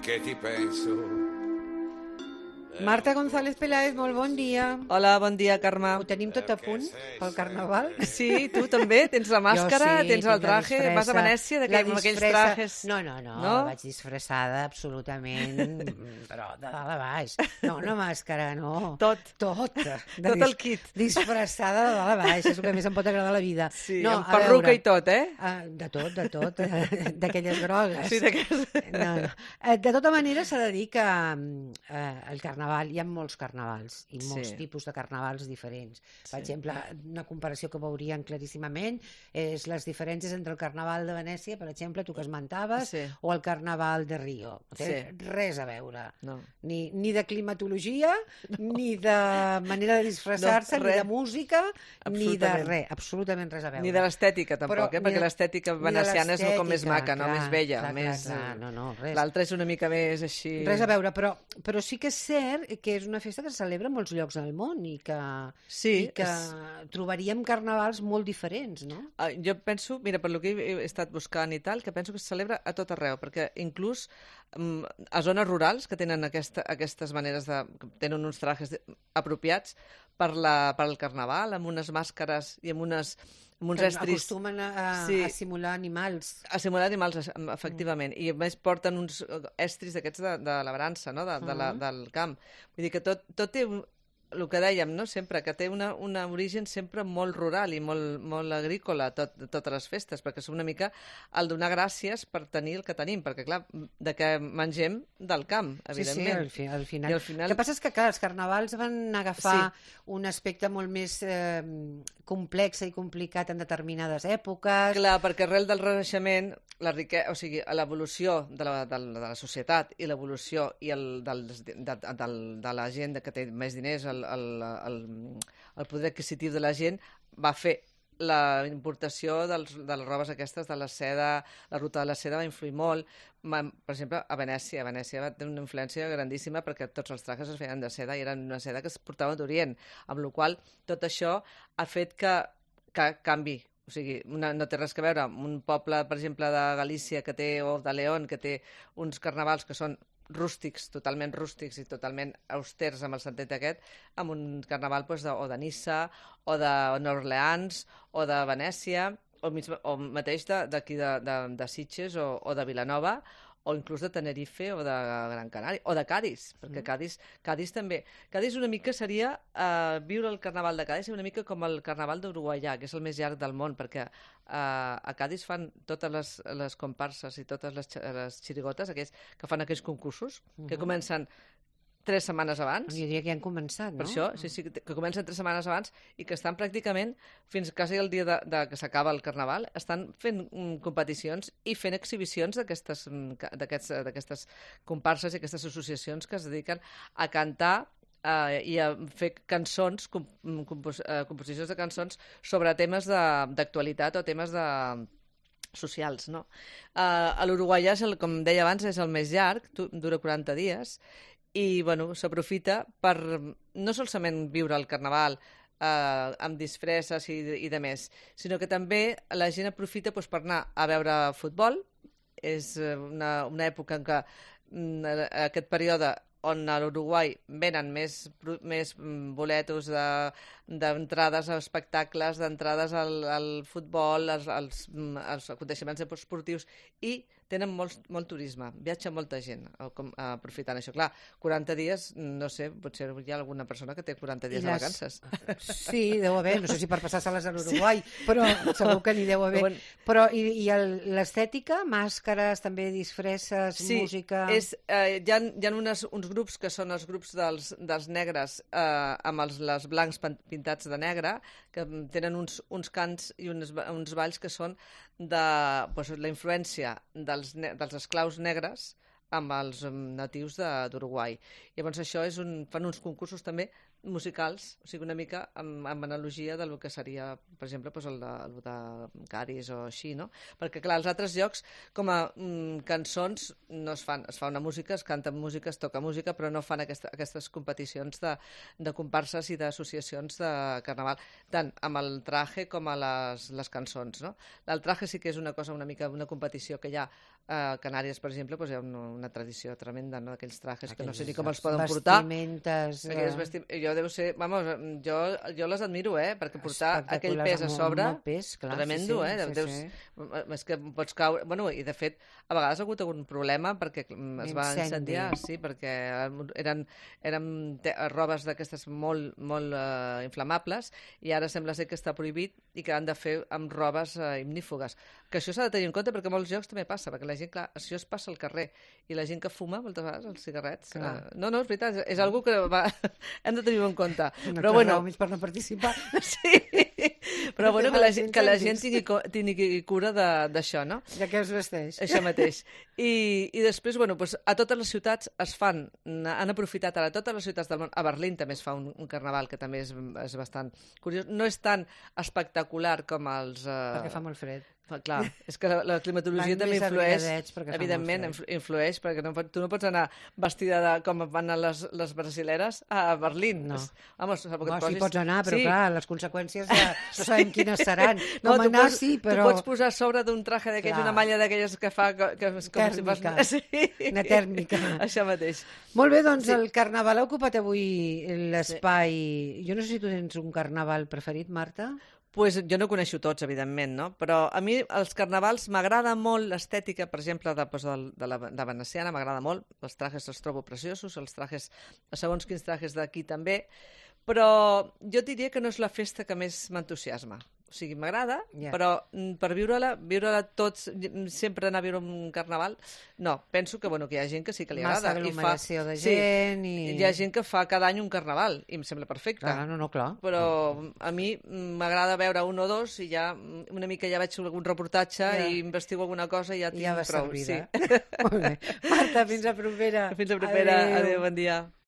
che ti penso. Marta González Peláez, molt bon dia. Hola, bon dia, Carme. Ho tenim tot a punt pel Carnaval? Sí, tu també? Tens la màscara, sí, tens el traje, vas a Venècia amb aquells trajes... No, vaig disfressada absolutament, però de dalt a baix. No, una màscara, no. Tot. Tot el kit. Disfressada de dalt a baix, és el que més em pot agradar a la vida. Sí, amb perruca i tot, eh? De tot, d'aquelles grogues. Sí, d'aquelles... No. De tota manera, s'ha de dir que el Carnaval, hi ha molts carnavals i molts tipus de carnavals diferents. Per exemple, una comparació que veuríem claríssimament és les diferències entre el Carnaval de Venècia, per exemple, tu que esmentaves, o el Carnaval de Rio. No té res a veure. No. Ni de climatologia, ni de manera de disfressar-se, ni de música, ni de res. Absolutament res a veure. Ni de l'estètica, tampoc, perquè l'estètica veneciana és com més maca, més bella. L'altra és una mica més així... Res a veure, però sí que és cert que és una festa que se celebra en molts llocs del món i que trobaríem carnavals molt diferents, no? Jo penso, mira, per lo que he estat buscant i tal, que penso que se celebra a tot arreu, perquè inclús a zones rurals que tenen aquestes maneres de... tenen uns trajes apropiats per al Carnaval, amb unes màscares i amb uns estris... Acostumen a simular animals. A simular animals, efectivament. I a més porten uns estris d'aquests de labrança, no? Del camp. Vull dir que tot té el que dèiem, no? Sempre, que té un origen sempre molt rural i molt agrícola, totes les festes, perquè és una mica el donar gràcies per tenir el que tenim, perquè, clar, de què mengem del camp, evidentment. Sí, al final. El que passa és que, clar, els carnavals van agafar un aspecte molt més complex i complicat en determinades èpoques. Clar, perquè arrel del Renaixement, l'evolució de la societat i l'evolució de la gent que té més diners, el poder adquisitiu de la gent va fer la importació de les robes aquestes de la seda, la ruta de la seda va influir molt. Per exemple, a Venècia va tenir una influència grandíssima perquè tots els trajes es feien de seda i eren una seda que es portava d'Orient, amb la qual tot això ha fet que canvi. O sigui, no té res a veure amb un poble, per exemple, de Galícia o de León, que té uns carnavals que són rústics, totalment rústics i totalment austers amb el sentit aquest, amb un carnaval o de Niça, o de Nova Orleans, o de Venècia, o mateix d'aquí de Sitges o de Vilanova, o inclús de Tenerife o de Gran Canària, o de Cadis, perquè Cadis també. Cadis una mica seria viure el carnaval de Cadis una mica com el carnaval d'Uruguaià, que és el més llarg del món, perquè a Cadis fan totes les comparses i totes les xirigotes, aquells que fan aquells concursos, que comencen 3 setmanes abans. Jo diria que ja han començat, no? Per això, sí, que comencen 3 setmanes abans i que estan pràcticament, fins quasi el dia que s'acaba el Carnaval, estan fent competicions i fent exhibicions d'aquestes comparses i aquestes associacions que es dediquen a cantar i a fer cançons, composicions de cançons sobre temes d'actualitat o temes socials, no? A l'Uruguaià, com deia abans, és el més llarg, dura 40 dies, i bueno, s'aprofita per no solament viure el Carnaval amb disfresses i de més, sinó que també la gent aprofita per anar a veure futbol. És una època en què aquest període on a l'Uruguai venen més boletos d'entrades a espectacles, d'entrades al futbol, als aconteixements esportius, i tenen molt turisme, viatja molta gent aprofitant això. Clar, 40 dies, no sé, potser hi ha alguna persona que té 40 dies de vacances. Sí, deu haver, no sé si per passar-se-les a l'Uruguai, però segur que n'hi deu haver. Però i l'estètica, màscares, també disfresses, música... Hi ha uns grups que són els grups dels negres amb els blancs pintats de negre, que tenen uns cants i uns balls que són de la influència dels esclaus negres amb els natius d'Uruguai. Llavors això fan uns concursos també musicals, o sigui, una mica amb analogia del que seria, per exemple, el de Cadis o així, no? Perquè, clar, als altres llocs, com a cançons, no es fa una música, es canta música, es toca música, però no fan aquestes competicions de comparses i d'associacions de carnaval, tant amb el traje com a les cançons, no? El traje sí que és una cosa una mica, una competició que hi ha A Canàries, per exemple, doncs hi ha una tradició tremenda, no?, d'aquells trajes que no sé ni com els Aquelles poden portar. vestimentes... Jo deu ser... Vamos, jo les admiro, perquè portar aquell pes a sobre... Molt pes, clar. Tremendo, És que pots caure... Bueno, i de fet, a vegades ha hagut algun problema perquè es va incendiar, sí, perquè eren robes d'aquestes molt inflamables i ara sembla ser que està prohibit i que han de fer amb robes ignífugues. Que això s'ha de tenir en compte perquè a molts llocs també passa, perquè la gent, clar, això es passa al carrer i la gent que fuma moltes vegades els cigarrets... No, és veritat, és algo que hem de tenir en compte. Però bueno, més per no participar. Sí, però bueno, que la gent tingui cura d'això, no? De què es vesteix. Això mateix. I després, bueno, doncs a totes les ciutats han aprofitat ara, a totes les ciutats del món, a Berlín també es fa un carnaval que també és bastant curiós. No és tan espectacular com els... Perquè fa molt fred. Clar, és que la climatologia també influeix, evidentment, influeix, perquè tu no pots anar vestida com van anar les brasileres a Berlín. No. Vamos, sí, pots anar, però clar, les conseqüències ja no sabem quines seran. Com anar, sí, però... Tu pots posar a sobre d'un traje d'aquells, una malla d'aquelles que fa... Tèrmica, una tèrmica. Això mateix. Molt bé, doncs el carnaval ha ocupat avui l'espai. Jo no sé si tu tens un carnaval preferit, Marta? Pues jo no coneixo tots, evidentment, no? Però a mi els carnavals m'agrada molt l'estètica, per exemple, de veneciana, m'agrada molt. Els trajes els trobo preciosos, els trajes, segons quins trajes d'aquí també, però jo diria que no és la festa que més m'entusiasma. O sigui, m'agrada, però per viure-la tots, sempre anar a viure un carnaval, no. Penso que, bueno, que hi ha gent que sí que li agrada. Massa aglomeració de gent i... Hi ha gent que fa cada any un carnaval, i em sembla perfecte. Clar. Però a mi m'agrada veure un o dos i ja una mica ja veig algun reportatge i investigo alguna cosa i ja tinc prou. Ja va servida. Molt bé. Marta, fins a propera. Fins a propera. Adéu, bon dia.